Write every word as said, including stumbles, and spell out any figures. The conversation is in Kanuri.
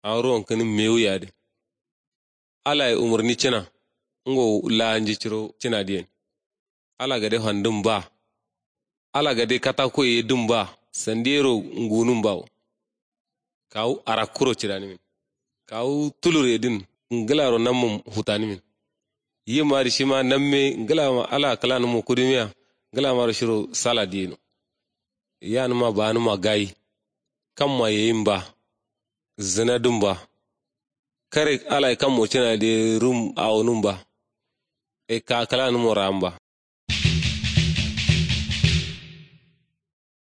Awo ruwankǝnin mewu ye adǝ. Alaye umurni cǝna. Ngo laa nji ciro cǝna diyen. Ala gade fandǝn ba. Ala gade katako ye dǝn ba. Sandiyero ngunǝn bawo. Kawu arakkuro cǝdanǝmin. Kawu tulur ye dǝn ngǝlaro nammum futanǝmin. Yim adǝ shima namme ngǝlama ala kǝlanǝmmo kudǝmiya. Ngǝlamaro shiro sala diyeno. Yanǝma baanǝma gayi. Kamma yeyin ba. Zǝna dǝn ba. Kare alaye kammo cǝna diye rum awonǝm ba. Ekka kǝlanǝmmo raam ba.